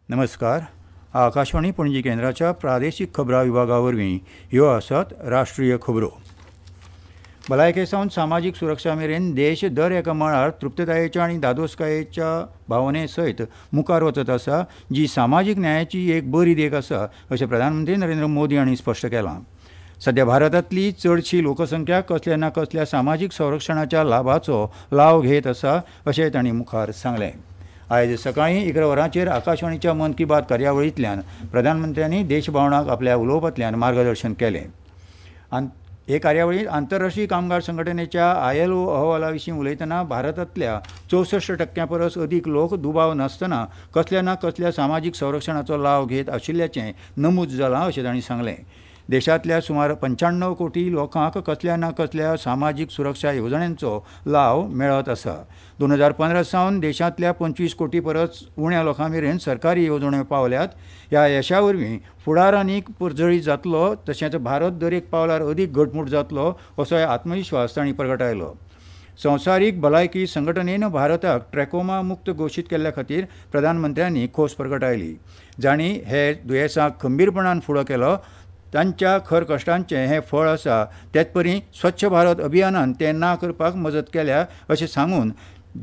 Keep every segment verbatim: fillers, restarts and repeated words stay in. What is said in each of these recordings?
नमस्कार. आकाशवाणी पणजी केंद्राच्या प्रादेशीक खबरां विभागा वरवीं ह्यो आसात राष्ट्रीय खबरो. भलायके सावन सामाजीक सुरक्षा मेरेन देश दर एका मळार तृप्ततायेच्या आनी धादोसकायेच्या भावने सयत मुखार वचत आसा, जी सामाजीक न्यायाची एक बरी देख आसा अशें प्रधानमंत्री नरेंद्र मोदी हांणी स्पश्ट केलां. सद्या भारतांतली चडशी लोकसंख्या कसल्या ना कसल्या सामाजीक संरक्षणाच्या लाभाचो लाव घेत आसा अशें तांणी मुखार सांगलें. आयज सकाळीं इकरा वरांचेर आकाशवाणीच्या मन की बात कार्यावळींतल्यान प्रधानमंत्र्यांनी देशभावनाक आपल्या उलोवपांतल्यान मार्गदर्शन केलें. हे कार्यावळींत आंतरराष्ट्रीय कामगार संघटनेच्या I L O अहवाला विशीं उलयतना भारतांतल्या चौसश्ट टक्क्यां परस अदीक लोक दुबाव नासतना कसल्या ना कसल्या सामाजीक संरक्षणाचो लाव घेत आशिल्ल्याचें नमूद जालां अशें तांणी सांगलें. देशांतल्या सुमार पंच्याण्णव कोटी लोकांक कसल्या ना कसल्या सामाजीक सुरक्षा येवजण्यांचो लाव मेळत आसा. दोन हजार पंदरा सावन देशांतल्या पंचवीस कोटी परस उण्या लोकां मेरेन सरकारी येवजण्यो पावल्यात. ह्या यशा वरवीं फुडार आनीक पर्जळीत जातलो तशेंच भारत दरेक पावलार अदीक घटमूट जातलो असोय आत्मविश्वास तांणी परगटायलो. संवसारीक भलायकी संघटनेन भारताक ट्रॅकोमा मुक्त घोशीत केल्ल्या खातीर प्रधानमंत्र्यांनी खोस परगटायली. जांणी हे दुयेंसाक खंबीरपणान फुडो केलो तांच्या खर कश्टांचें हें फळ आसा. तेचपरी स्वच्छ भारत अभियानान तें ना करपाक मजत केल्या अशें सांगून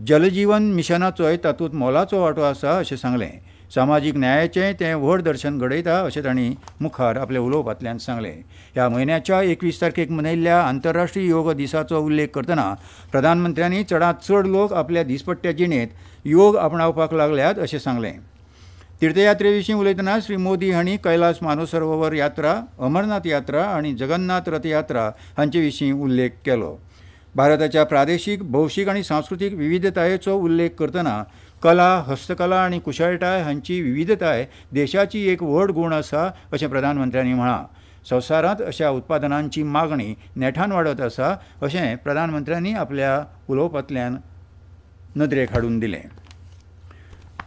जलजीवन मिशनाचोय तातूंत मोलाचो वांटो आसा अशें सांगलें. सामाजीक न्यायाचें तें व्हड दर्शन घडयता अशें तांणी मुखार आपल्या उलोवपांतल्यान सांगलें. ह्या म्हयन्याच्या एकवीस तारखेक मनयल्ल्या आंतरराष्ट्रीय योग दिसाचो उल्लेख करतना प्रधानमंत्र्यांनी चडांत चड लोक आपल्या दिसपट्ट्या जिणेंत योग आपणावपाक लागल्यात अशें सांगलें. तीर्थयात्रे विशीं उलयतना श्री मोदी हांणी कैलास मानसरोवर यात्रा, अमरनाथ यात्रा आनी जगन्नाथ रथयात्रा हांचे विशीं उल्लेख केलो. भारताच्या प्रादेशीक, भौशीक आनी सांस्कृतीक विविधतायेचो उल्लेख करतना कला, हस्तकला आनी कुशळटाय हांची विविधताय देशाची एक व्हड गूण आसा अशें प्रधानमंत्र्यांनी म्हळां. संवसारांत अशा उत्पादनांची मागणी नेटान वाडत आसा अशें प्रधानमंत्र्यांनी आपल्या उलोवपांतल्यान नदरेक हाडून दिलें.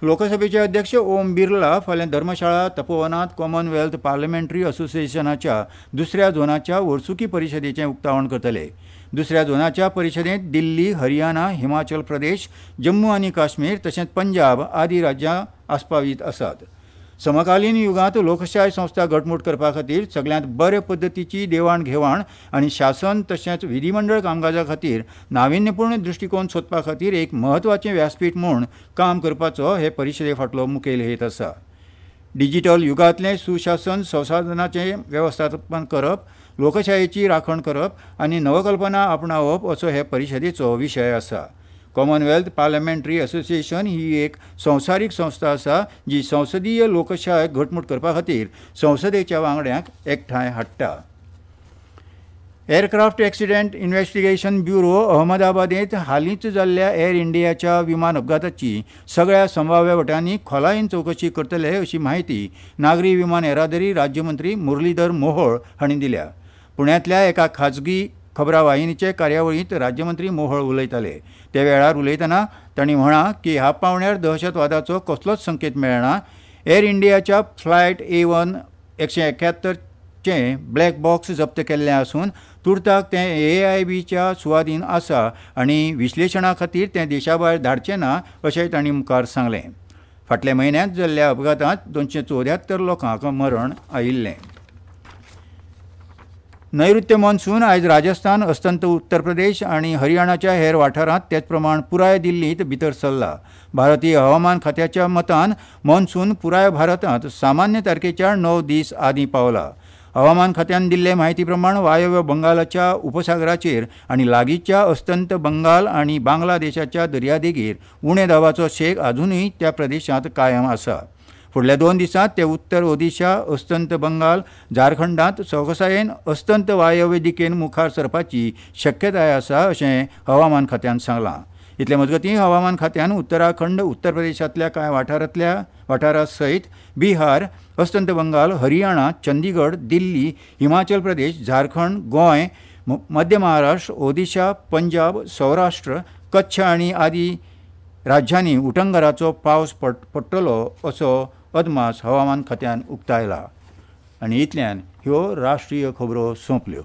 लोकसभेचे अध्यक्ष ओम बिर्ला फाल्यां धर्मशाळा तपोवनांत कॉमनवेल्थ पार्लमेंटरी असोसिएशनाच्या दुसऱ्या झोनाच्या वर्सुकी परिशदेचें उक्तावण करतले. दुसऱ्या झोनाच्या परिशदेंत दिल्ली, हरियाणा, हिमाचल प्रदेश, जम्मू आनी काश्मीर तशेंच पंजाब आदी राज्यां आस्पावीत आसात. समकालीन युगांत लोकशाय संस्था घटमूट करपा खातीर सगल्यांत बरे पद्दतीची देवाण घेवाण आनी शासन तशेंच विधीमंडळ कामकाजा खातीर नाविन्यपूर्ण दृश्टीकोन सोदपा खातीर एक म्हत्वाचें व्यासपीठ म्हूण काम करपाचो हे परिशदे फाटलो मुखेल हेत आसा. डिजिटल युगांतलें सुशासन संसाधनाचें वेवस्थापन करप, लोकशायेची राखण करप आनी नवकल्पना आपणावप असो हे परिशदेचो विशय आसा. कॉमनवेल्थ पार्लमेंटरी असोसिएशन ही एक संवसारीक संस्था आसा जी संसदीय लोकशाय घटमूट करपा खातीर संसदेच्या वांगड्यांक एकठांय हाडटा. एअरक्राफ्ट एक्सिडेंट इन्व्हेस्टिगेशन ब्युरो अहमदाबादेंत हालींच जाल्ल्या एअर इंडियाच्या विमान अपघाताची सगळ्या संभाव्य वटांनी खोलायेन चवकशी करतले अशी म्हायती नागरी विमान येरादारी राज्यमंत्री मुरलीधर मोहोळ हांणी दिल्या. पुण्यांतल्या एका खाजगी खबरां वाहिनीचे कार्यावळींत राज्यमंत्री मोहोळ उलयताले. त्या वेळार उलयतना तांणी म्हळां की ह्या पावण्यार दहशतवादाचो कसलोच संकेत मेळना. एअर इंडियाच्या फ्लायट ए वन एकशे एक्यात्तरचें ब्लॅक बॉक्स जप्त केल्लें आसून तुर्ताक तें ए I बीच्या सुवादीन आसा आनी विश्लेशणा खातीर तें देशा भायर धाडचें ना अशें तांणी मुखार सांगलें. फाटल्या म्हयन्यांत जाल्ल्या अपघातांत दोनशे चवद्यात्तर लोकांक मरण आयिल्लें. नैऋत्य मॉन्सून आयज राजस्थान, अस्तंत उत्तर प्रदेश आनी हरियाणाच्या हेर वाठारांत तेचप्रमाण पुराय दिल्लींत भितर सरला. भारतीय हवामान खात्याच्या मतान मॉन्सून पुराय भारतांत सामान्य तारखेच्या णव दीस आदीं पावला. हवामान खात्यान दिल्ले म्हायती प्रमाण वायव्य बंगालाच्या उपसागराचेर आनी लागींच्या अस्तंत बंगाल आनी बांगलादेशाच्या दर्यादेगेर उणे दाबाचो शेक आजुनूय त्या प्रदेशांत कायम आसा. फुडल्या दोन दिसांत ते उत्तर ओदिशा, अस्तंत बंगाल, झारखंडांत सवकसायेन अस्तंत वायव्य दिकेन मुखार सरपाची शक्यताय आसा अशें हवामान खात्यान सांगलां. इतले मजगतीं हवामान खात्यान उत्तराखंड, उत्तर प्रदेशांतल्या कांय वाठारांतल्या वाठारा सयत बिहार, अस्तंत बंगाल, हरियाणा, चंदीगड, दिल्ली, हिमाचल प्रदेश, झारखंड, गोंय, मध्य महाराष्ट्र, ओदिशा, पंजाब, सौराष्ट्र, कच्छ आनी आदी राज्यांनी उटंगराचो पावस पडटलो असो अदमास हवामान खात्यान उक्तायला. आनी इतल्यान ह्यो राष्ट्रीय खबरो सोंपल्यो.